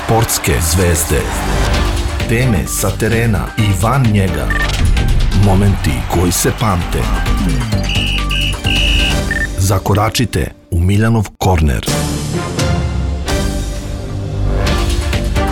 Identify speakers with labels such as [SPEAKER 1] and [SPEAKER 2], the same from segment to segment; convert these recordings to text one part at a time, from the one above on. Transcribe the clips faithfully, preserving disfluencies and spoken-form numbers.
[SPEAKER 1] Sportske zvezde. Teme sa terena i van njega. Momenti koji se pamte. Zakoračite u Miljanov korner.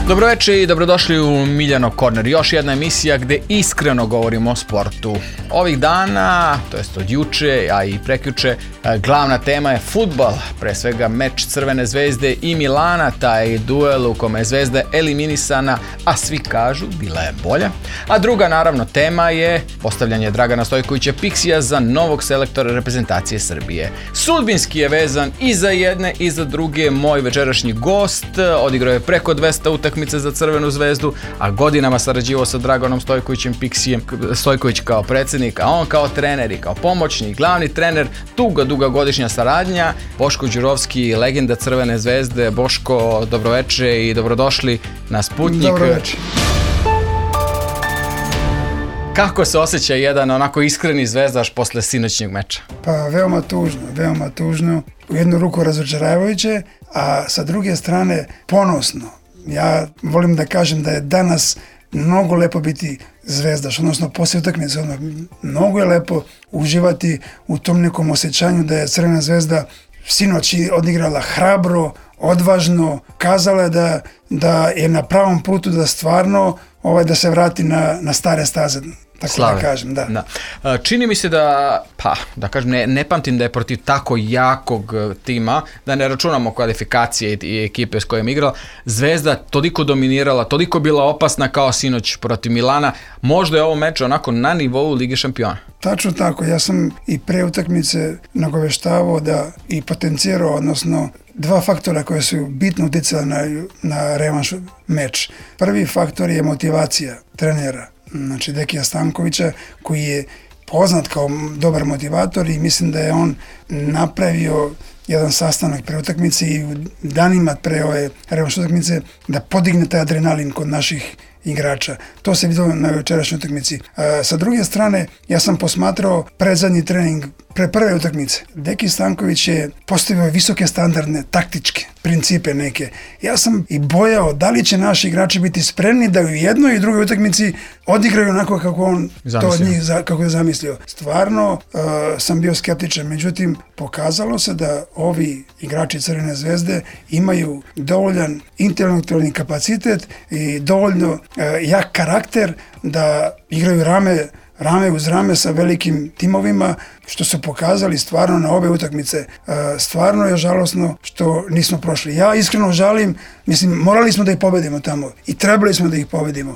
[SPEAKER 2] Dobroveče i dobrodošli u Miljanov korner. Još jedna emisija gde iskreno govorimo o sportu. Ovih dana, to jest od juče, a i prekjuče, glavna tema je fudbal. Pre svega meč Crvene zvezde i Milana, taj duel u kome je Zvezda eliminisana, a svi kažu bila je bolja. A druga naravno tema je postavljanje Dragana Stojkovića Piksija za novog selektora reprezentacije Srbije. Sudbinski je vezan i za jedne i za druge moj večerašnji gost. Odigrao je preko dvesta utakmica za Crvenu zvezdu, a godinama sarađivao sa Draganom Stojkovićem Piksijem. Stojković kao predsjednik, a on kao trener i kao pomoćnik, glavni trener, duga, duga godišnja saradnja. Boško Đurovski, legenda Crvene zvezde. Boško, dobroveče i dobrodošli na Sputnjik.
[SPEAKER 3] Dobroveče.
[SPEAKER 2] Kako se osjeća jedan onako iskreni zvezdaš posle sinoćnjeg meča?
[SPEAKER 3] Pa veoma tužno, veoma tužno. U jednu ruku razočaravajuće, a sa druge strane ponosno. Ja volim da kažem da je danas mnogo lepo biti zvezdaš, odnosno poslije utakmice, mnogo je lepo uživati u tom nekom osjećanju da je Crvena zvezda sinoć odigrala hrabro, odvažno, kazala je da, da je na pravom putu da stvarno ovaj, da se vrati na, na stare staze. Tako Slave. da kažem, da.
[SPEAKER 2] da. Čini mi se da, pa, da kažem, ne, ne pamtim da je protiv tako jakog tima, da ne računamo kvalifikacije i, i ekipe s kojim igrala, Zvezda toliko dominirala, toliko bila opasna kao sinoć protiv Milana. Možda je ovo meč onako na nivou Lige šampiona.
[SPEAKER 3] Tačno tako, ja sam i pre utakmice nagoveštavao da i potencirao, odnosno dva faktora koje su bitno uticala na, na revanš meč. Prvi faktor je motivacija trenera, znači Dekija Stankovića, koji je poznat kao dobar motivator i mislim da je on napravio jedan sastanak pre utakmice i u danima pre ove revanš utakmice da podigne taj adrenalin kod naših igrača. To se vidio na večerašnjoj utakmici. A, sa druge strane, ja sam posmatrao predzadnji trening pre prve utakmice. Deki Stanković je postavio visoke standardne, taktičke principe neke. Ja sam i bojao da li će naši igrači biti spremni da u jednoj i drugoj utakmici odigraju onako kako on zamislio. to od njih kako je zamislio. Stvarno uh, sam bio skeptičan, međutim pokazalo se da ovi igrači Crvene zvezde imaju dovoljan intelektualni kapacitet i dovoljno uh, jak karakter da igraju rame rame uz rame sa velikim timovima, što su pokazali stvarno na obe utakmice. Stvarno je žalosno što nismo prošli. Ja iskreno žalim, mislim, morali smo da ih pobedimo tamo i trebali smo da ih pobedimo.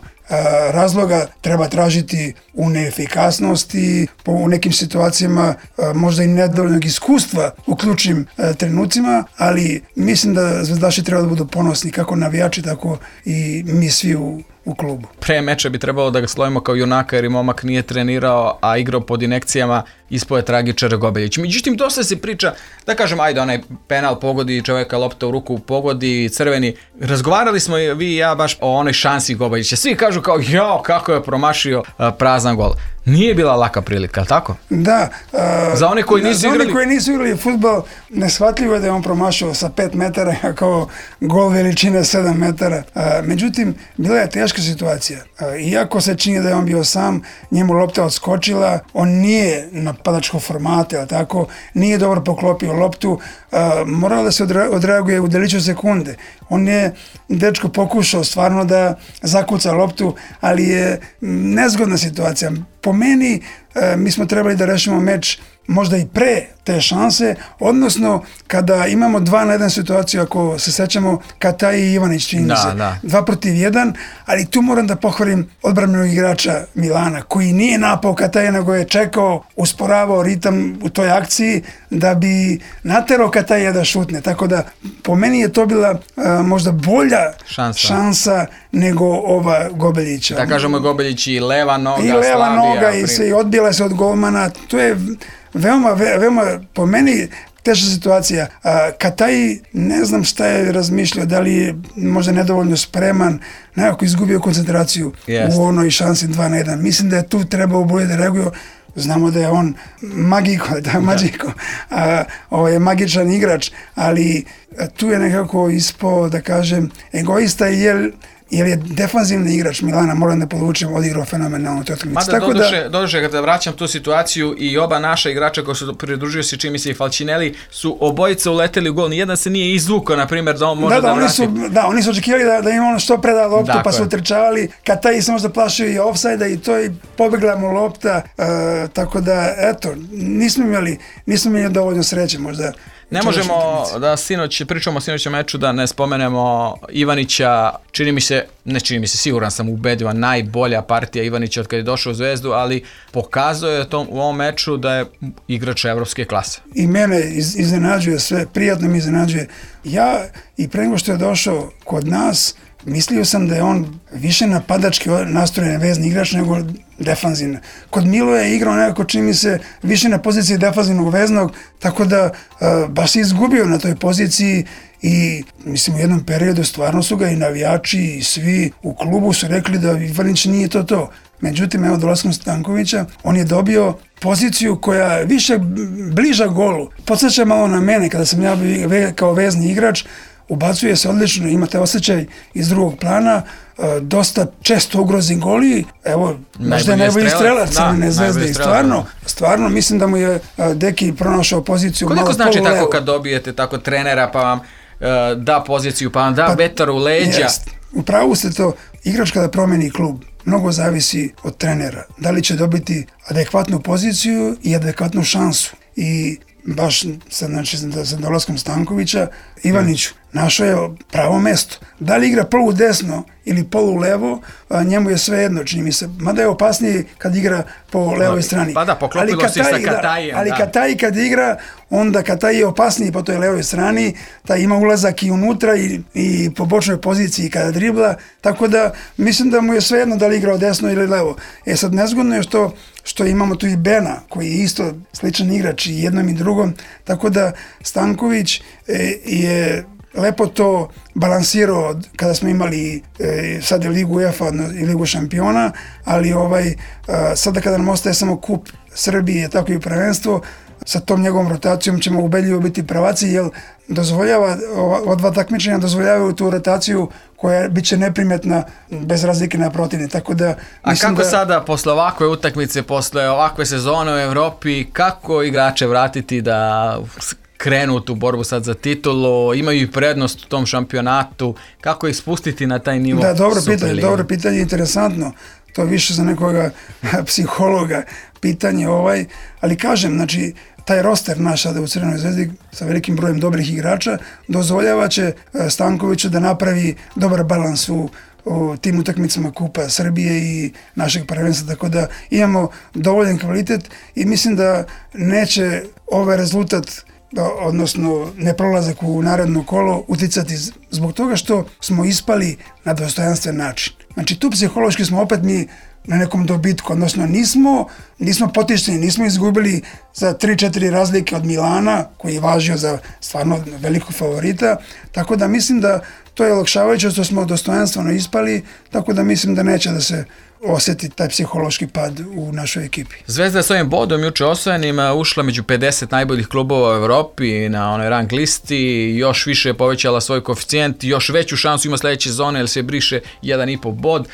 [SPEAKER 3] Razloga treba tražiti u neefikasnosti, u nekim situacijama možda i nedovoljnog iskustva u ključnim trenucima, ali mislim da zvezdaši treba da budu ponosni, kako navijači, tako i mi svi u u klubu.
[SPEAKER 2] Pre meča bi trebalo da ga slovimo kao junaka jer i momak nije trenirao, a igrao pod injekcijama, ispao je tragičar Gobeljić. Međutim, dosta se priča, da kažem, ajde, onaj penal pogodi, čovjeka lopta u ruku pogodi, crveni. Razgovarali smo i vi i ja baš o onoj šansi Gobeljića. Svi kažu kao, jao, kako je promašio uh, prazan gol. Nije bila laka prilika, tako?
[SPEAKER 3] Da.
[SPEAKER 2] Uh, za one koji nisu igrali...
[SPEAKER 3] Za one koji nisu igrali fudbal, neshvatljivo je da je on promašio sa pet metara, kao gol veličine sedam metara. Uh, međutim, bila je teška situacija. Uh, iako se čini da je on bio sam, njemu lopta odskočila, on nije napadačkog formata, ali tako, nije dobro poklopio loptu, uh, moralo da se odreaguje u deliću sekunde. On je, dečko, pokušao stvarno da zakuca loptu, ali je nezgodna situacija. Po meni, e, mi smo trebali da rešimo meč možda i pre te šanse, odnosno kada imamo dva na jedan situaciju, ako se sećamo Kataj i Ivanić, čini
[SPEAKER 2] da,
[SPEAKER 3] se,
[SPEAKER 2] da.
[SPEAKER 3] dva protiv jedan, ali tu moram da pohvalim odbrambenog igrača Milana, koji nije napao Kataja, nego je čekao, usporavao ritam u toj akciji da bi naterao Kataja da šutne, tako da po meni je to bila a, možda bolja šansa. šansa nego ova Gobeljića.
[SPEAKER 2] Da kažemo Gobeljić i leva noga,
[SPEAKER 3] i leva
[SPEAKER 2] Slavija,
[SPEAKER 3] noga i sve, i odbila se od golmana, to je veoma, veoma, po meni teška situacija. Kataj, ne znam šta je razmišljao, da li je možda nedovoljno spreman, nekako izgubio koncentraciju Jest. u onoj šansi dva na jedan. Mislim da je tu trebao bolje da reaguje. znamo da je on magiko, da je magiko, a, ovaj je magičan igrač, ali tu je nekako ispao, da kažem, egoista, jer jer je defanzivni igrač Milana, moram da podvučem, odigrao fenomenalno tu utakmicu.
[SPEAKER 2] Mada tako doduše, da, doduše kada vraćam tu situaciju i oba naša igrača koji su pridružio se, čini mi se i Falcinelli, su obojica uleteli u gol, nijedan se nije izvukao, na primjer, da on može da, da, da
[SPEAKER 3] oni
[SPEAKER 2] vrati.
[SPEAKER 3] Su, da, oni su očekivali da, da im ono što preda loptu, dakle. Pa su utrčavali, kad taj se možda plašio i ofsajda i to i pobegla mu lopta, uh, tako da, eto, nismo imali, nismo imali dovoljno sreće možda.
[SPEAKER 2] Ne možemo da sinoć, pričamo o sinoćem meču, da ne spomenemo Ivanića, čini mi se, ne čini mi se, siguran sam ubedljiva, najbolja partija Ivanića od kada je došao u Zvezdu, ali pokazuje je to, u ovom meču da je igrač evropske klase.
[SPEAKER 3] I mene iz, iznenađuje sve, prijatno mi iznenađuje. Ja i pre nego što je došao kod nas, mislio sam da je on više napadački nastrojen vezni igrač nego defanzivno. Kod Miloja je igrao nekako, čini mi se, više na poziciji defanzivnog veznog, tako da uh, baš se izgubio na toj poziciji i mislim u jednom periodu stvarno su ga i navijači i svi u klubu su rekli da Ivanić nije to to. Međutim, evo dolaskom Stankovića, on je dobio poziciju koja je više bliža golu. Podsjeća malo na mene kada sam ja kao vezni igrač, ubacuje se odlično, imate osjećaj iz drugog plana, dosta često ugrozi goli, evo, možda je najbolji strelac Crvene Zvezde i stvarno, stvarno mislim da mu je Deki pronašao poziciju malo polu levo.
[SPEAKER 2] Koliko znači tako kad dobijete tako trenera pa vam uh, da poziciju, pa vam da pa, vetar u leđa? Jest.
[SPEAKER 3] Upravo ste to, igrač kada promeni klub, mnogo zavisi od trenera. Da li će dobiti adekvatnu poziciju i adekvatnu šansu. I baš sa, znači, sa dolaskom Stankovića, Ivanić našao je pravo mesto. Da li igra polu desno ili polu levo, a njemu je sve jedno, čini mi se. Mada je opasniji kad igra po levoj strani.
[SPEAKER 2] Pa da, poklopilo si sa Katajem.
[SPEAKER 3] Ali Kataj kad igra, onda Kataj je opasniji po toj levoj strani, taj ima ulazak i unutra i, i po bočnoj poziciji kada dribla, tako da mislim da mu je sve jedno da li igra desno ili levo. E sad, nezgodno je što, što imamo tu i Bena, koji je isto sličan igrač i jednom i drugom, tako da Stanković e, je lepo to balansirao kada smo imali e, sad je Ligu UEFA i Ligu šampiona, ali ovaj, a, sada kada nam ostaje samo kup Srbije, tako i prvenstvo, sa tom njegovom rotacijom ćemo ubedljivo biti prvaci, jer dozvoljava, ova dva takmičenja dozvoljavaju tu rotaciju koja bit će neprimjetna bez razlike na protivne. Tako da,
[SPEAKER 2] a kako
[SPEAKER 3] da...
[SPEAKER 2] sada, posle ovakve utakmice, posle ovakve sezone u Evropi, kako igrače vratiti da krenu tu borbu sad za titulu, imaju i prednost u tom šampionatu, kako ih spustiti na taj nivo?
[SPEAKER 3] Da, dobro pitanje, dobro pitanje, interesantno. To je više za nekoga psihologa pitanje ovaj, ali kažem, znači, taj roster naš sada u Crvenoj Zvezdi sa velikim brojem dobrih igrača dozvoljava će Stankoviću da napravi dobar balans u, u tim utakmicama Kupa Srbije i našeg prvenstva, tako da imamo dovoljan kvalitet i mislim da neće ovaj rezultat, odnosno neprolazak u naredno kolo, uticati zbog toga što smo ispali na dostojanstven način. Znači tu psihološki smo opet mi na nekom dobitku, odnosno nismo, nismo potišteni, nismo izgubili za tri četiri razlike od Milana, koji je važio za stvarno velikog favorita, tako da mislim da to je olakšavajuće što smo dostojanstveno ispali, tako da mislim da neće da se osjeti taj psihološki pad u našoj ekipi.
[SPEAKER 2] Zvezda je s ovim bodom juče osvojenim ušla među pedeset najboljih klubova u Evropi na onoj rang listi, još više je povećala svoj koeficijent, još veću šansu ima sljedeće sezone jer se briše jedan i po bod.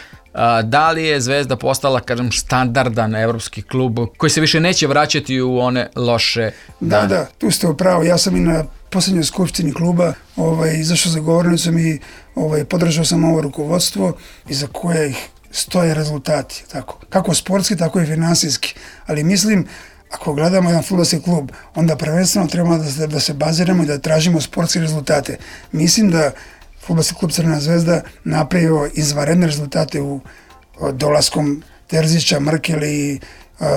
[SPEAKER 2] Da li je Zvezda postala, kažem, standardan evropski klub koji se više neće vraćati u one loše dane?
[SPEAKER 3] Da, da, tu ste upravo. Ja sam i na posljednjoj skupštini kluba ovaj, izašao za govornicom i ovaj, podržao sam ovo rukovodstvo iza koje ih stoje rezultati, tako. Kako sportski, tako i finansijski. Ali mislim, ako gledamo jedan fudbalski klub, onda prvenstveno trebamo da se, da se baziramo i da tražimo sportske rezultate. Mislim da fudbalski klub Crvena Zvezda napravio izvanredne rezultate u dolaskom Terzića, Mrkeli i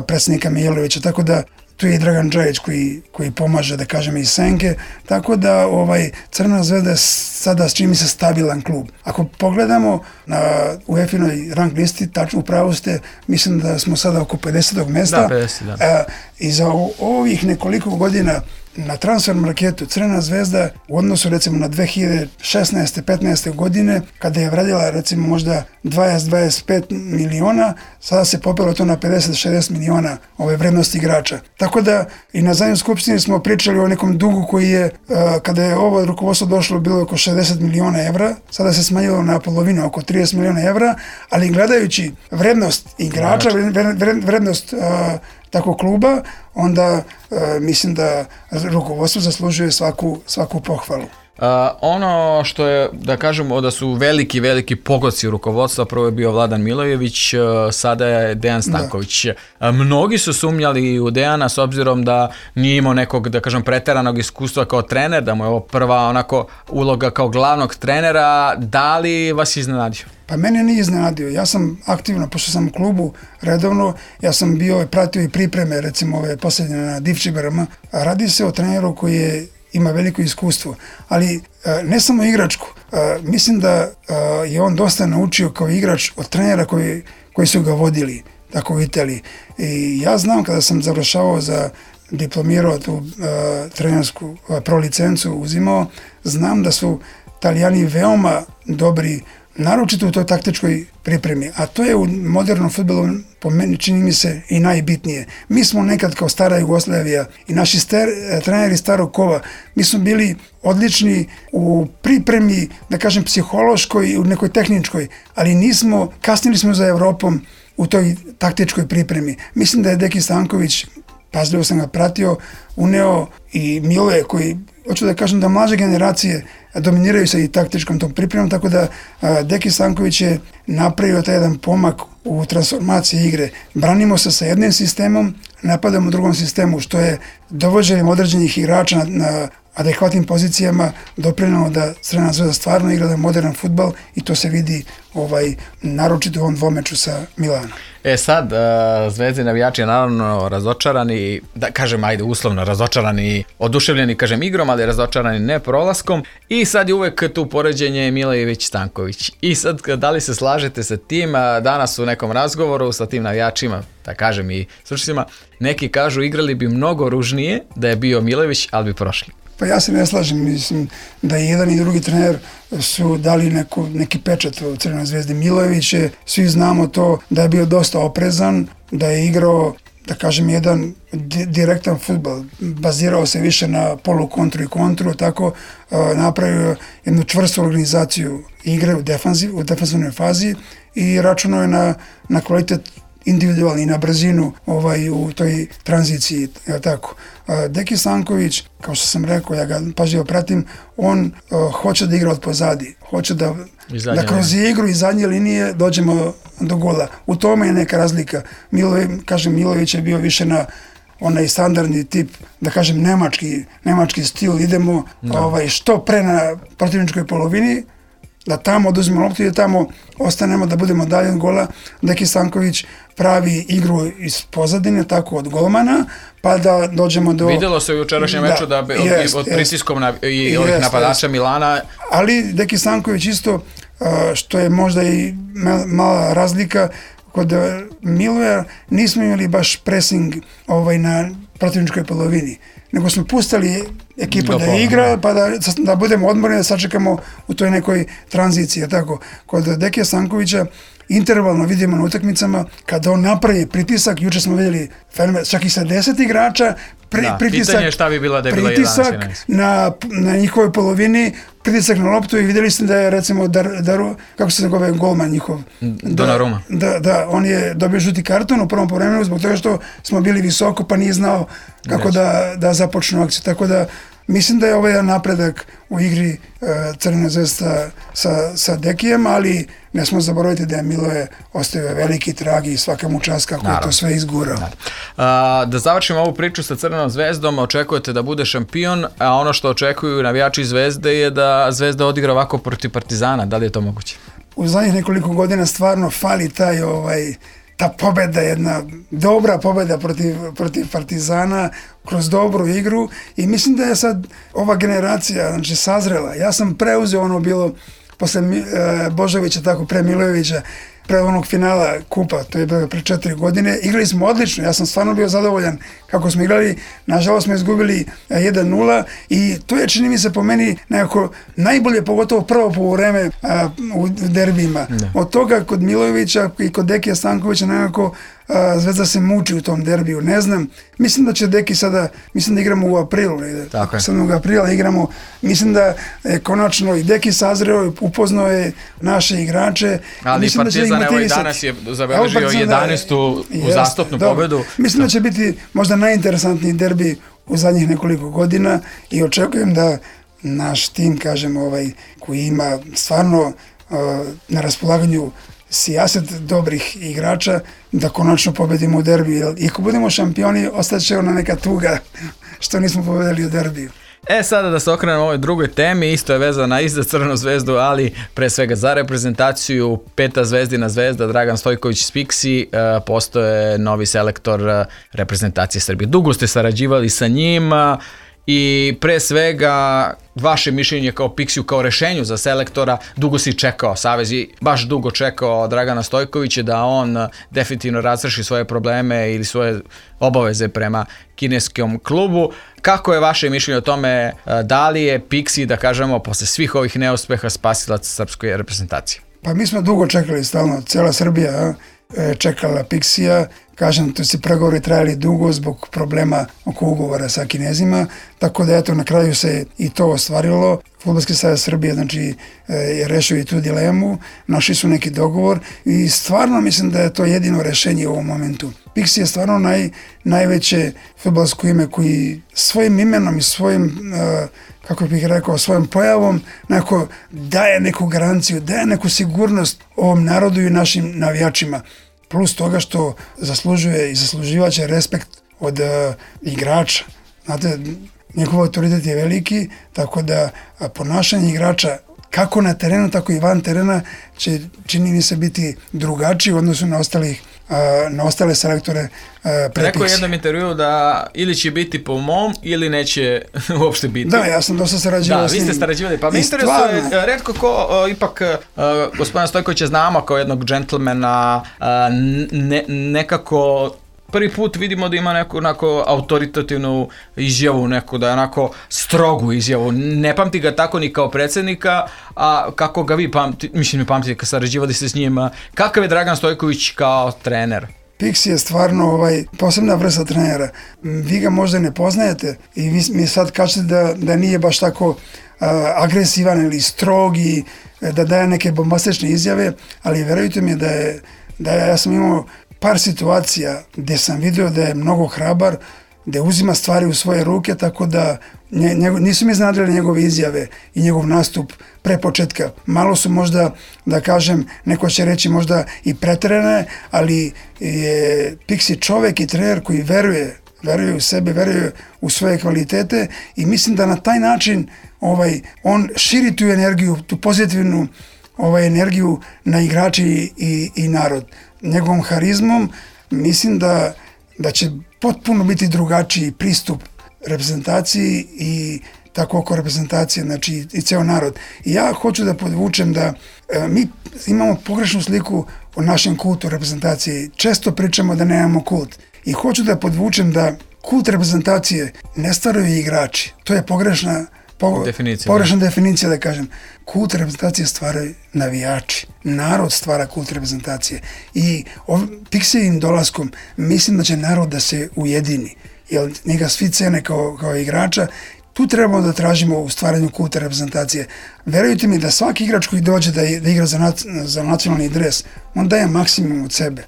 [SPEAKER 3] predsjednika Mijailovića, tako da tu je i Dragan Džajić koji, koji pomaže, da kažem, i Senke, tako da ovaj, Crvena Zvezda je sada, s čim se, stabilan klub. Ako pogledamo na UEFA-inoj rang listi, tačno upravo ste, mislim da smo sada oko pedesetog mesta.
[SPEAKER 2] Da, pedeset, da.
[SPEAKER 3] A, i za ovih nekoliko godina na transfer marketu Crvena zvezda u odnosu recimo na dve hiljade šesnaeste petnaeste godine, kada je vredila recimo možda dvadeset do dvadeset pet miliona, sada se popelo to na pedeset do šezdeset miliona ove vrednosti igrača. Tako da i na zadnjoj skupštini smo pričali o nekom dugu koji je, kada je ovo rukovodstvo došlo, bilo oko šezdeset miliona evra, sada se smanjilo na polovinu, oko trideset miliona evra, ali gledajući vrednost igrača, vrednost tako kluba, onda uh, mislim da rukovodstvo zaslužuje svaku, svaku pohvalu.
[SPEAKER 2] Uh, ono što je, da kažemo, da su veliki, veliki pogodci rukovodstva, prvo je bio Vladan Milojević, uh, sada je Dejan Stanković. Uh, mnogi su sumnjali u Dejana s obzirom da nije imao nekog, da kažem, preteranog iskustva kao trener, da mu je ovo prva onako uloga kao glavnog trenera. Da li vas iznenadio?
[SPEAKER 3] Pa mene nije iznenadio. Ja sam aktivno, pošto sam u klubu redovno, ja sam bio, pratio i pripreme, recimo ove posljednje na Divčibarama. Radi se o treneru koji je ima veliko iskustvo, ali ne samo igračku. Mislim da je on dosta naučio kao igrač od trenera koji, koji su ga vodili, tako u Italiji. I ja znam kada sam završavao za diplomirao tu uh, trenersku uh, pro licencu uzimao, znam da su Italijani veoma dobri, naročito u toj taktičkoj pripremi, a to je u modernom fudbalu po meni čini mi se i najbitnije. Mi smo nekad kao stara Jugoslavija i naši ster, treneri starog kova, mi smo bili odlični u pripremi, da kažem, psihološkoj i u nekoj tehničkoj, ali nismo, kasnili smo za Evropom u toj taktičkoj pripremi. Mislim da je Deki Stanković, pažljivo sam ga pratio, uneo i Miloje koji, hoću da kažem da mlađe generacije dominiraju sa i taktičkom tom pripremom, tako da a, Deki Stanković je napravio taj jedan pomak u transformaciji igre. Branimo se sa jednim sistemom, napadamo u drugom sistemu, što je dovođenjem određenih igrača na, na adekvatnim pozicijama doprinelo da Crvena zvezda stvarno igra da modern fudbal i to se vidi ovaj, naročito u ovom dvomeču sa Milanom.
[SPEAKER 2] E sad, uh, Zvezdi navijači je naravno razočarani, da kažem, ajde uslovno razočarani, oduševljeni, kažem, igrom, ali razočarani ne prolaskom. I sad je uvek tu poređenje Milojević-Stanković. I sad, da li se slažete sa tim, danas u nekom razgovoru sa tim navijačima, da kažem i slušacima, neki kažu igrali bi mnogo ružnije da je bio Milojević, ali bi prošli.
[SPEAKER 3] Pa ja se ne slažem, mislim da i jedan i drugi trener su dali neku, neki pečat u Crvenoj zvezdi. Milojević je, svi znamo to, da je bio dosta oprezan, da je igrao, da kažem, jedan di- direktan fudbal. Bazirao se više na polu kontru i kontru, tako uh, napravio jednu čvrstu organizaciju igre u, defanziv, u defanzivnoj fazi i računao je na, na kvalitet individualni, na brzinu ovaj, u toj tranziciji, je tako. Deki Stanković, kao što sam rekao, ja ga pažljivo pratim, on uh, hoće da igra od pozadi, hoće da, da kroz igru i zadnje linije dođemo do gola. U tome je neka razlika. Miloje, kažem, Milojević je bio više na onaj standardni tip, da kažem, nemački, nemački stil, idemo no. ovaj, što pre na protivničkoj polovini, da tamo oduzmemo loptu i da tamo ostanemo, da budemo dalje od gola. Deki Stanković pravi igru iz pozadine, tako od golmana, pa da dođemo do...
[SPEAKER 2] Vidjelo se u jučerašnjem meču da, da jest, od pritiskom na, i jest, ovih napadača jest. Milana.
[SPEAKER 3] Ali Deki Stanković isto, što je možda i mala razlika, kod Miloja nismo imali baš pressing ovaj, na protivničkoj polovini, nego smo pustali ekipu da igra, pa da, da budemo odmorni, da sačekamo u toj nekoj tranziciji. Tako. Kod Dekija Stankovića intervalno vidimo na utakmicama kada on napravi pritisak, juče smo vidjeli čak i sa deset igrača, pri,
[SPEAKER 2] da,
[SPEAKER 3] pritisak,
[SPEAKER 2] pitanje je šta bi bila da je bila
[SPEAKER 3] pritisak na, na njihovoj polovini, pritisak na loptu i vidjeli ste da je recimo Dar, Daru, kako se zove golman njihov?
[SPEAKER 2] Donnarumma.
[SPEAKER 3] Da, da, on je dobio žuti karton u prvom povremenu zbog toga što smo bili visoko pa nije znao kako da, da započnu akciju. Tako da mislim da je ovaj napredak u igri uh, Crvena zvezda sa, sa Dekijem, ali ne smo zaboraviti da je Miloje ostavio veliki trag i svaka mu čast kako je to sve izgurao.
[SPEAKER 2] A, da završimo ovu priču sa Crvenom zvezdom, očekujete da bude šampion, a ono što očekuju navijači Zvezde je da Zvezda odigra ovako protiv Partizana. Da li je to moguće?
[SPEAKER 3] U zadnjih nekoliko godina stvarno fali taj ovaj ta pobjeda, jedna dobra pobjeda protiv, protiv Partizana kroz dobru igru i mislim da je sad ova generacija znači, sazrela. Ja sam preuzeo ono bilo posle e, Božovića, tako pre Milojevića, pre onog finala kupa, to je bilo pre četiri godine. Igrali smo odlično, ja sam stvarno bio zadovoljan kako smo igrali, nažalost smo izgubili jedan nula i to je, čini mi se, po meni nekako najbolje, pogotovo prvo poluvreme u derbijima. Ne. Od toga kod Milojevića i kod Dekija Stankovića nekako a, Zvezda se muči u tom derbiju, ne znam. Mislim da će Deki sada, mislim da igramo u aprilu, sedmog aprila igramo, mislim da je konačno i Deki sazreo, upoznao je naše igrače.
[SPEAKER 2] Ali mislim Partizan, da evo i danas je zabeležio jedanaestu uzastopnu pobedu.
[SPEAKER 3] Mislim da će biti možda najinteresantniji derbi u zadnjih nekoliko godina i očekujem da naš tim, kažem, ovaj, koji ima stvarno uh, na raspolaganju sijaset dobrih igrača, da konačno pobedimo u derbiju. I ako budemo šampioni, ostaće ona neka tuga što nismo pobedili u derbiju.
[SPEAKER 2] E, sada da se okrenemo ovoj drugoj temi, isto je vezana i za Crvenu zvezdu, ali pre svega za reprezentaciju. Peta zvezdina zvezda, Dragan Stojković iz Pixi, e, postoje novi selektor reprezentacije Srbije. Dugo ste sarađivali sa njim i pre svega vaše mišljenje kao Pixiju, kao rešenju za selektora. Dugo si čekao, Savez i baš dugo čekao Dragana Stojkovića da on definitivno razreši svoje probleme ili svoje obaveze prema kineskom klubu. Kako je vaše mišljenje o tome, da li je Pixi, da kažemo, posle svih ovih neuspeha spasilac srpske reprezentacije?
[SPEAKER 3] Pa mi smo dugo čekali, stalno, cijela Srbija čekala Pixija. Kažem, to si pregovori trajali dugo zbog problema oko ugovora sa Kinezima, tako da eto na kraju se i to ostvarilo. Fudbalski savez Srbije, znači, je rešio i tu dilemu, našli su neki dogovor i stvarno mislim da je to jedino rešenje u ovom momentu. Pixi je stvarno naj, najveće fudbalsko ime koji svojim imenom i svojim, kako bih rekao, svojom pojavom nekako daje neku garanciju, daje neku sigurnost ovom narodu i našim navijačima. Plus toga što zaslužuje i zasluživaće respekt od uh, igrača. Znate, njegov autoritet je veliki, tako da a, ponašanje igrača kako na terenu, tako i van terena će, čini mi se, biti drugačiji u odnosu na ostalih na ostale selektore pre
[SPEAKER 2] Rekao je jednom intervju da ili će biti po mom ili neće uopšte biti.
[SPEAKER 3] Da, ja sam dosta sarađivao s njim.
[SPEAKER 2] Da, vi ste sarađivali. Pa mi interesuje, redko ko, ipak gospodina Stojkovića znamo kao jednog džentlmena, ne, nekako prvi put vidimo da ima neku onako autoritativnu izjavu, neku da je onako strogu izjavu. Ne pamti ga tako ni kao predsjednika, a kako ga vi pamti, mislim, pamtite kad sarađivali se s njima. Kakav je Dragan Stojković kao trener?
[SPEAKER 3] Pixi je stvarno ovaj, posebna vrsta trenera. Vi ga možda ne poznajete i vi mi sad kažete da, da nije baš tako uh, agresivan ili strog i da daje neke bombastične izjave, ali verujte mi da je, da je, ja sam imao par situacija gdje sam vidio da je mnogo hrabar, da uzima stvari u svoje ruke, tako da njego, nisu mi iznenadile njegove izjave i njegov nastup pre početka. Malo su možda, da kažem, neko će reći možda i preterane, ali je Pixi čovek i trener koji veruje, veruje u sebe, veruje u svoje kvalitete i mislim da na taj način ovaj, on širi tu energiju, tu pozitivnu ovaj, energiju na igrači i, i narod. Njegovom harizmom mislim da, da će potpuno biti drugačiji pristup reprezentaciji i tako oko reprezentacije, znači i ceo narod. I ja hoću da podvučem da e, mi imamo pogrešnu sliku o našem kultu reprezentacije. Često pričamo da nemamo kult. I hoću da podvučem da kult reprezentacije ne stvaraju igrači. To je pogrešna Po, definicija, pogrešna da. definicija, da kažem. Kult reprezentacije stvaraju navijači. Narod stvara kult reprezentacije. I Pixijim dolaskom mislim da će narod da se ujedini. Jer njega svi cene kao, kao igrača. Tu trebamo da tražimo u stvaranju kulta reprezentacije. Verujte mi da svaki igrač koji dođe da, da igra za, nac, za nacionalni dres, on daje maksimum od sebe.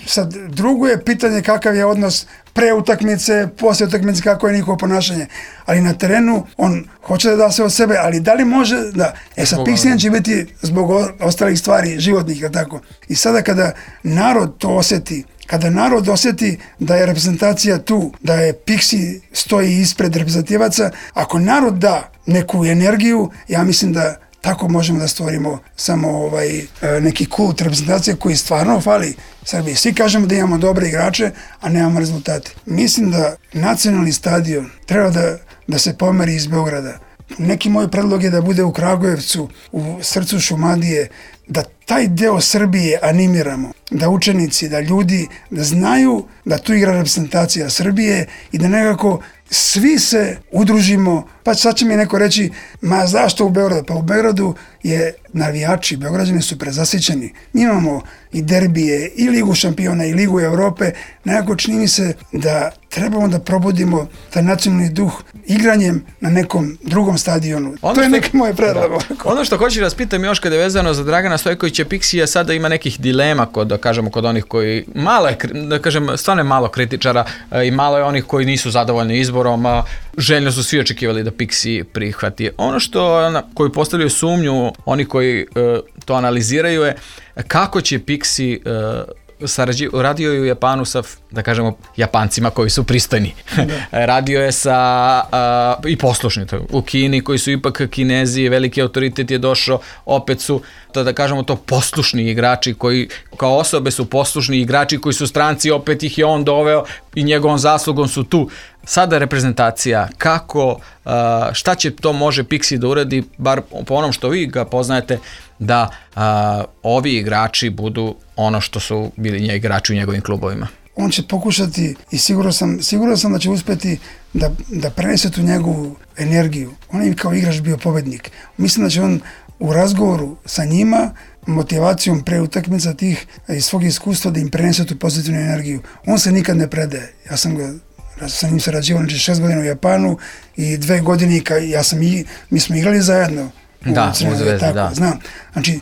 [SPEAKER 3] Sad, drugo je pitanje kakav je odnos pre utakmice, posle utakmice, kako je njihovo ponašanje. Ali na terenu on hoće da da sve od sebe, ali da li može da... E sad, Pixijan će biti zbog ostalih stvari životnih, tako. I sada kada narod to osjeti, kada narod osjeti da je reprezentacija tu, da je Pixi stoji ispred reprezentativaca, ako narod da neku energiju, ja mislim da tako možemo da stvorimo samo ovaj neki kult reprezentacije koji stvarno fali Srbiji. Svi kažemo da imamo dobre igrače, a nemamo rezultate. Mislim da nacionalni stadion treba da, da se pomeri iz Beograda. Neki moj predlog je da bude u Kragujevcu, u srcu Šumadije, da taj deo Srbije animiramo, da učenici, da ljudi, da znaju da tu igra reprezentacija Srbije i da nekako svi se udružimo. Pa sad će mi neko reći, ma zašto u Beogradu? Pa u Beogradu je navijači, Beograđani su prezasićeni. Mi imamo i derbije, i Ligu šampiona, i Ligu Evrope. Nekako čini mi se da trebamo da probudimo taj nacionalni duh igranjem na nekom drugom stadionu. Ono to je što, neki moj predlog.
[SPEAKER 2] Da. Ono što hoću da vas pitam još kada je vezano za Dragana Stojkovića Piksija, sada ima nekih dilema kod, da kažemo, kod onih koji, malo je, da kažem, stvarno je malo kritičara i malo je onih koji nisu zadovoljni izborom, a željno su svi očekivali da Piksi prihvati. Ono što, koji postavljaju sumnju, oni koji uh, to analiziraju je kako će Piksi uh, Sarađi, radio je u Japanu sa, da kažemo, Japancima koji su pristojni. Radio je sa uh, i poslušni u Kini koji su ipak Kinezi, veliki autoritet je došao, opet su, to da kažemo, to poslušni igrači koji kao osobe su poslušni igrači koji su stranci, opet ih je on doveo i njegovom zaslugom su tu. Sada reprezentacija, kako, uh, šta će to može Piksi da uradi, bar po onom što vi ga poznajete, da uh, ovi igrači budu ono što su bili nje igrači u njegovim klubovima.
[SPEAKER 3] On će pokušati i sigurno sam, sigurno sam da će uspjeti da, da prenese tu njegovu energiju. On je kao igrač bio pobednik. Mislim da će on u razgovoru sa njima, motivacijom pre utakmica tih iz svog iskustva da im prenese tu pozitivnu energiju. On se nikad ne predaje. Ja sam ga sa njim sarađivao, znači šest godina u Japanu i dve godine, ja sam i, mi smo igrali zajedno.
[SPEAKER 2] Da, u Zvezdi, tako, da.
[SPEAKER 3] Znam. Znači,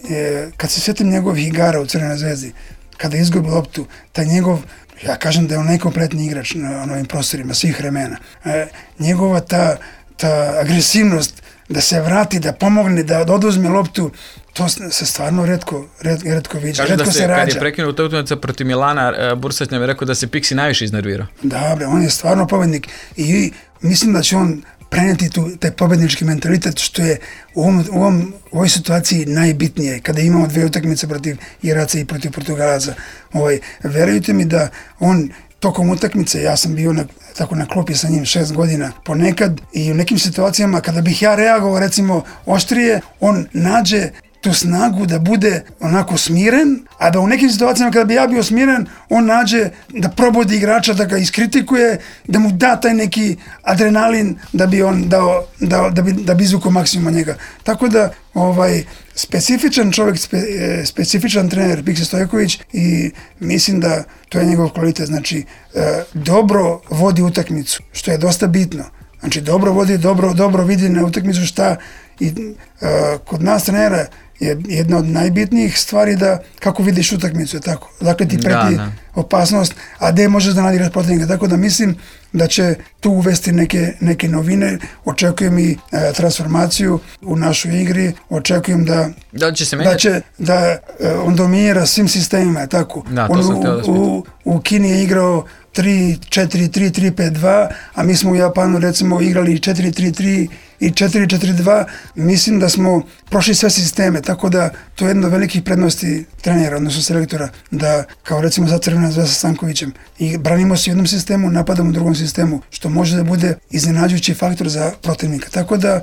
[SPEAKER 3] e, kad se sjetim njegovih igara u Crvenoj Zvezdi, kada izgubi loptu, taj njegov, ja kažem da je on najkompletniji igrač na, na ovim prostorima svih vremena. E, njegova ta, ta agresivnost da se vrati, da pomogne, da oduzme loptu, to se stvarno retko, ret, retko viđa, retko
[SPEAKER 2] da se,
[SPEAKER 3] se rađa.
[SPEAKER 2] Kad je prekinuo ta utakmica protiv Milana, Bursać nam je rekao da se Piksi najviše iznervirao.
[SPEAKER 3] Da, bre, on je stvarno pobednik i mislim da će on prenijeti tu, taj pobednički mentalitet, što je u, ovom, u, ovom, u ovoj situaciji najbitnije, kada imamo dve utakmice protiv Iraca i protiv Portugalaca. Ovaj, verujte mi da on tokom utakmice, ja sam bio na, tako na klopi sa njim šest godina, ponekad i u nekim situacijama kada bih ja reagovao recimo oštrije, on nađe tu snagu da bude onako smiren, a da u nekim situacijama kada bi ja bio smiren, on nađe da probudi igrača, da ga iskritikuje, da mu da taj neki adrenalin da bi on dao, dao da bi, da bi izvukao maksimum njega. Tako da, ovaj, specifičan čovjek, spe, specifičan trener Piksi Stojković i mislim da to je njegov kvalitet, znači e, dobro vodi utakmicu, što je dosta bitno. Znači dobro vodi, dobro, dobro vidi na utakmicu šta i e, kod nas trenera je jedna od najbitnijih stvari da kako vidiš utakmicu, je tako. Dakle ti preti da, da. opasnost, a gde možeš da nadiraš protivnika. Tako da mislim da će tu uvesti neke, neke novine. Očekujem i e, transformaciju u našoj igri. Očekujem da
[SPEAKER 2] da će se
[SPEAKER 3] da, će, da e, on dominira svim sistemima, tako.
[SPEAKER 2] Da, to
[SPEAKER 3] on
[SPEAKER 2] sam
[SPEAKER 3] u,
[SPEAKER 2] htio da
[SPEAKER 3] u, u Kini je igrao tri četiri tri, tri pet dva, a mi smo u Japanu recimo igrali četiri tri tri i četiri četiri dva. Mislim da smo prošli sve sisteme, tako da to je jedna od velikih prednosti trenera, odnosno selektora, da kao recimo za Crvena Zvezda sa Stankovićem i branimo se u jednom sistemu, napadamo u drugom sistemu, što može da bude iznenađujući faktor za protivnika. Tako da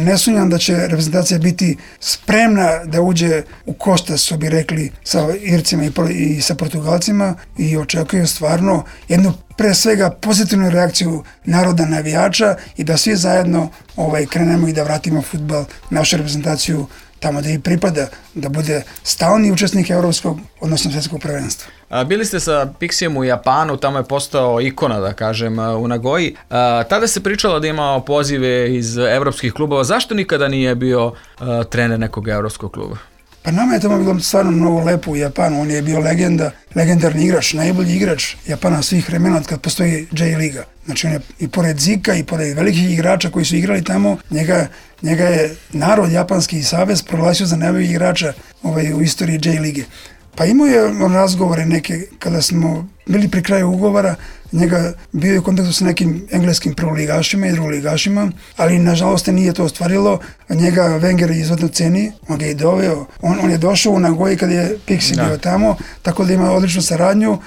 [SPEAKER 3] ne sumnjam da će reprezentacija biti spremna da uđe u koštac, što bi rekli, sa Ircima i, i sa Portugalcima i očekujem stvarno jednu pre svega pozitivnu reakciju naroda navijača i da svi zajedno ovaj, krenemo i da vratimo fudbal, našu reprezentaciju tamo da i pripada, da bude stalni učesnik evropskog, odnosno svjetskog prvenstva.
[SPEAKER 2] A, bili ste sa Piksijem u Japanu, tamo je postao ikona, da kažem, u Nagoji. A, tada se pričalo da imao pozive iz evropskih klubova. Zašto nikada nije bio a, trener nekog evropskog kluba?
[SPEAKER 3] Pa nama je tamo bilo stvarno mnogo lepo u Japanu. On je bio legenda, legendarni igrač, najbolji igrač Japana svih vremena od kad postoji J-liga. Znači on je i pored Zika i pored velikih igrača koji su igrali tamo, njega, njega je narod japanski savez proglasio za najboljeg igrača ovaj, u istoriji J-lige. Pa imao je on razgovore neke, kada smo bili pri kraju ugovora, njega bio je u kontaktu sa nekim engleskim prvoligašima i drugoligašima, ali nažalost nije to ostvarilo. Njega Wenger izvodno ceni, on ga je doveo, on, on je došao u Nagoji kad je Piksi bio tamo, tako da ima odličnu saradnju.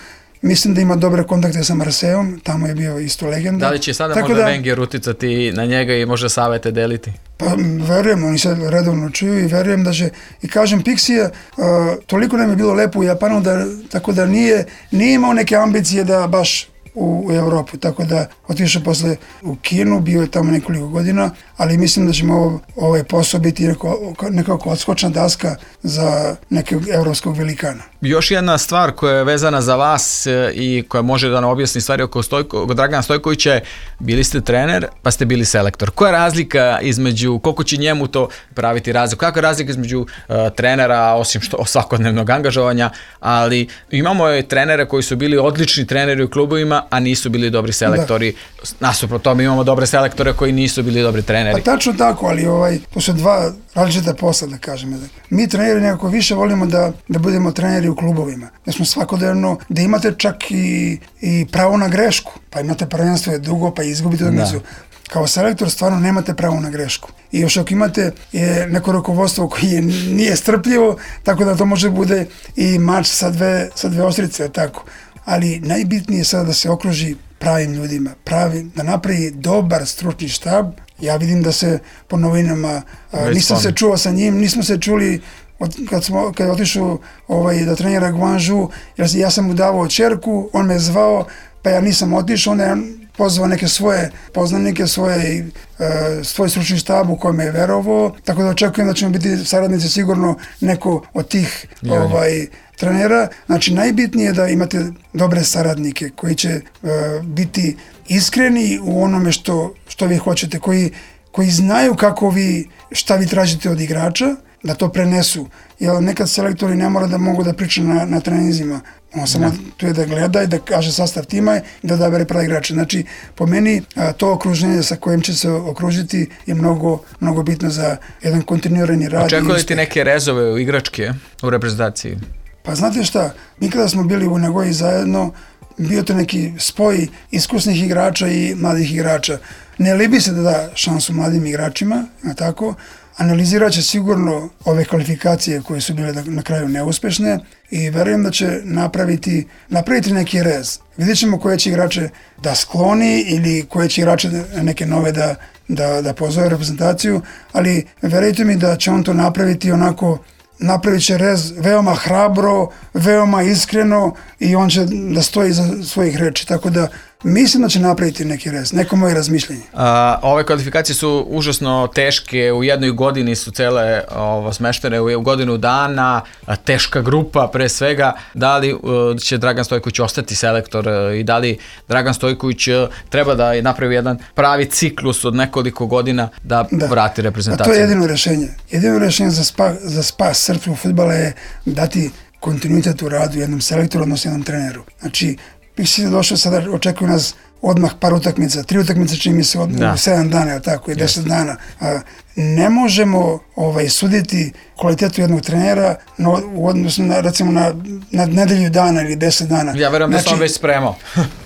[SPEAKER 3] mislim da ima dobre kontakte sa Marseillom, tamo je bio isto legenda.
[SPEAKER 2] Da li će sada
[SPEAKER 3] Tako
[SPEAKER 2] možda
[SPEAKER 3] da,
[SPEAKER 2] Wenger uticati na njega i možda savete deliti?
[SPEAKER 3] Pa verujem, oni se redovno čuju i verujem da će, i kažem, Pixija, uh, toliko nam je bilo lepo u Japanu, da, tako da nije, nije imao neke ambicije da baš u, u Evropu, tako da otišao posle u Kinu, bio je tamo nekoliko godina, ali mislim da ćemo ovo, ovaj posao biti neko, nekako odskočna daska za nekog evropskog velikana.
[SPEAKER 2] Još jedna stvar koja je vezana za vas i koja može da nam objasni stvari oko, Stojko, oko Dragana Stojkovića je, bili ste trener pa ste bili selektor. Koja je razlika između, koliko će njemu to praviti razliku, kakva je razlika između uh, trenera, osim što svakodnevnog angažovanja, ali imamo je trenere koji su bili odlični treneri u klubovima, a nisu bili dobri selektori. Da. Nasuprot tome imamo dobre selektore koji nisu bili dobri treneri.
[SPEAKER 3] Pa tačno tako, ali ovaj, to su dva različita posla, da kažem. Mi treneri nekako više volimo da, da budemo treneri u klubovima. Da smo svakodnevno, da imate čak i, i pravo na grešku. Pa imate prvenstvo je dugo, pa izgubite utakmicu. Kao selektor stvarno nemate pravo na grešku. I još ako imate je neko rukovodstvo koje je, nije strpljivo, tako da to može bude i mač sa dve, sa dve ostrice, tako. Ali najbitnije je sada da se okruži pravim ljudima, pravi, da napravi dobar stručni štab. Ja vidim da se po novinama, a, nisam se čuo sa njim, nismo se čuli od, kad, smo, kad je otišao ovaj, da trenira Guangzhou, ja, ja sam mu davao čerku, on me zvao, pa ja nisam otišao, onda je pozvao neke svoje poznanike, svoje, uh, svoj stručni štab u kojem je verovao, tako da očekujem da ćemo biti saradnici sigurno neko od tih ja, ovaj, trenera. Znači, najbitnije je da imate dobre saradnike koji će uh, biti iskreni u onome što, što vi hoćete, koji, koji znaju kako vi, šta vi tražite od igrača, da to prenesu. Jer nekad selektori ne mora da mogu da pričaju na, na treninzima. On samo tu je da gleda i da kaže sastav tima i da odabere pravi igrače. Znači, po meni, a, to okruženje sa kojim će se okružiti je mnogo, mnogo bitno za jedan kontinuirani rad.
[SPEAKER 2] Očekujete ti neke rezove u igračke u reprezentaciji?
[SPEAKER 3] Pa znate šta, mi kada smo bili u Nagoji zajedno, bio to neki spoj iskusnih igrača i mladih igrača. Ne libi se da da šansu mladim igračima, tako, analizirat će sigurno ove kvalifikacije koje su bile na kraju neuspešne i verujem da će napraviti, napraviti neki rez. Vidjet ćemo koje će igrače da skloni ili koje će igrače neke nove da, da, da pozove reprezentaciju, ali verujte mi da će on to napraviti onako, napravit će rez veoma hrabro, veoma iskreno i on će da stoji za svojih reči, tako da mislim da će napraviti neki rez, neko moje razmišljenje.
[SPEAKER 2] A, ove kvalifikacije su užasno teške, u jednoj godini su cele ovo, smeštene u godinu dana, a, teška grupa pre svega. Da li a, će Dragan Stojković ostati selektor a, i da li Dragan Stojković a, treba da napravi jedan pravi ciklus od nekoliko godina da, da. vrati reprezentaciju?
[SPEAKER 3] A to je jedino rešenje. Jedino rešenje za, spa, za spas srpskog fudbala je dati kontinuitet u radu jednom selektoru, odnosno jednom treneru. Znači, Pixi je došao, sada očekuju nas odmah par utakmica, tri utakmice čini mi se od da. sedam dana, tako i deset dana. A, ne možemo ovaj, suditi kvalitetu jednog trenera no, u odnosu na, recimo, na, na nedelju dana ili deset dana.
[SPEAKER 2] Ja verujem znači, da sam već spremao.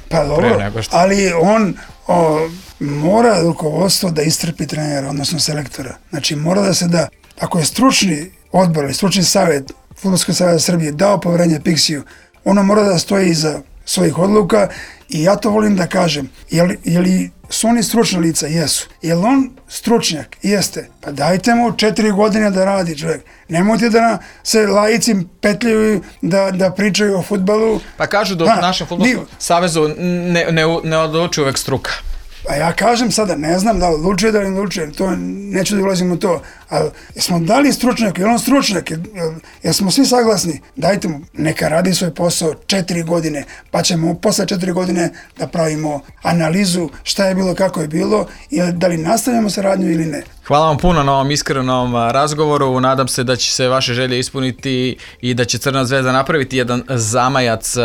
[SPEAKER 3] Pa dobro, ali on o, mora rukovodstvo da istrpi trenera, odnosno selektora. Znači mora da se da, ako je stručni odbor ili stručni savjet Fudbalskog saveza Srbije dao poverenje Pixiju, ono mora da stoji iza svojih odluka i ja to volim da kažem. Je li, je li su oni stručna lica? Jesu. Je li on stručnjak? Jeste. Pa dajte mu četiri godine da radi čovjek. Nemojte da na, se laici petljaju da, da pričaju o fudbalu.
[SPEAKER 2] Pa kažu da u našem Fudbalskom savezu ne, ne, ne odlučuje uvek struka.
[SPEAKER 3] A ja kažem sada, ne znam da li odlučuje, da li ne odlučuje, to neću da ulazim u to, ali jesmo dali stručnjak, je on stručnjak, jesmo svi saglasni, dajte mu, neka radi svoj posao četiri godine, pa ćemo posle četiri godine da pravimo analizu šta je bilo, kako je bilo i da li nastavljamo saradnju ili ne.
[SPEAKER 2] Hvala vam puno na ovom iskrenom razgovoru, nadam se da će se vaše želje ispuniti i da će Crna zvezda napraviti jedan zamajac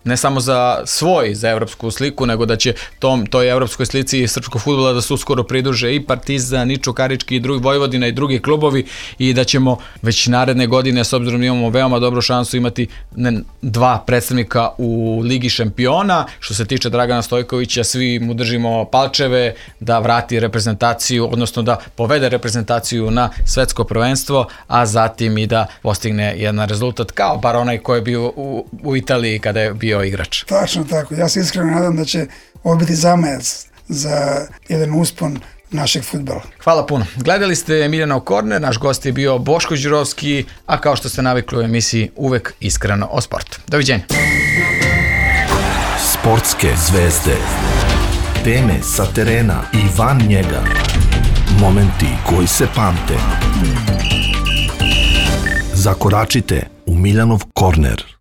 [SPEAKER 2] ne samo za svoj, za evropsku sliku, nego da će tom, toj evropskoj slici srpskog fudbala da se uskoro pridruže i Partizan, i Čukarički, i drugi Vojvodina i drugi klubovi i da ćemo već naredne godine, s obzirom da imamo veoma dobru šansu, imati ne, dva predstavnika u Ligi šampiona. Što se tiče Dragana Stojkovića, svi mu držimo palčeve da vrati reprezentaciju, odnosno da povede povede reprezentaciju na svetsko prvenstvo, a zatim i da postigne jedan rezultat kao bar onaj koji je bio u, u Italiji kada je bio igrač.
[SPEAKER 3] Tačno tako. Ja se iskreno nadam da će ovo biti zamajac za jedan uspon našeg fudbala.
[SPEAKER 2] Hvala puno. Gledali ste Miljanov korner, naš gost je bio Boško Đurovski, a kao što ste navikli u emisiji uvek iskreno o sportu. Doviđenja.
[SPEAKER 1] Sportske zvezde, teme sa terena i van njega, momenti koji se pamte. Zakoračite u Miljanov korner.